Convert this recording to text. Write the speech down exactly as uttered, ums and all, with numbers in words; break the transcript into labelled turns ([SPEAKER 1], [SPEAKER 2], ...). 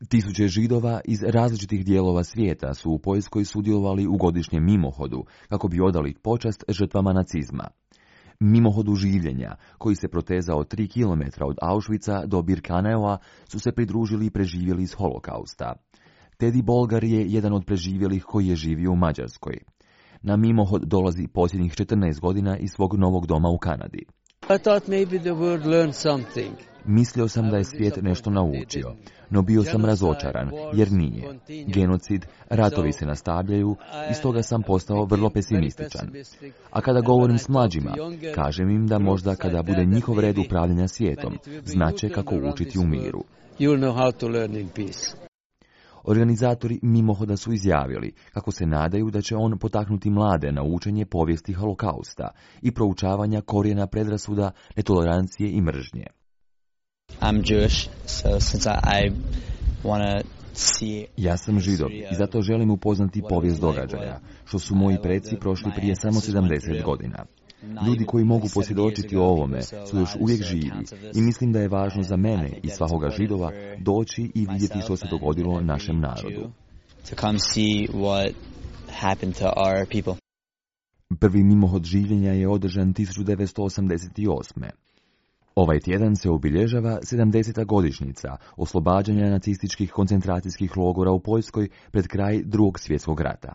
[SPEAKER 1] Tisuće Židova iz različitih dijelova svijeta su u Poljskoj sudjelovali u godišnjem mimohodu kako bi odali počast žrtvama nacizma. Mimohodu življenja, koji se protezao tri kilometra od Auschwitza do Birkeneua, su se pridružili i preživjeli iz holokausta. Teddy Bolgar je jedan od preživjelih koji je živio u Mađarskoj. Na mimohod dolazi posljednjih četrnaest godina iz svog novog doma u Kanadi.
[SPEAKER 2] I thought maybe the world learned something.
[SPEAKER 1] Mislio sam da je svijet nešto naučio, no bio sam razočaran, jer nije. Genocid, ratovi se nastavljaju i stoga sam postao vrlo pesimističan. A kada govorim s mlađima, kažem im da možda kada bude njihov red upravljanja svijetom, znaće kako učiti u miru. Organizatori mimohoda su izjavili kako se nadaju da će on potaknuti mlade na učenje povijesti holokausta i proučavanja korijena predrasuda, netolerancije i mržnje.
[SPEAKER 3] I'm Jewish, so since I, I wanna see...
[SPEAKER 1] Ja sam Židov i zato želim upoznati povijest događaja, što su moji preci prošli prije samo sedamdeset godina. Ljudi koji mogu posvjedočiti o ovome su još uvijek živi i mislim da je važno za mene i svakoga Židova doći i vidjeti što se dogodilo našem narodu. Prvi mimohod življenja je održan tisuću devetsto osamdeset osme. Ovaj tjedan se obilježava sedamdeseta godišnjica oslobađanja nacističkih koncentracijskih logora u Poljskoj pred kraj Drugog svjetskog rata.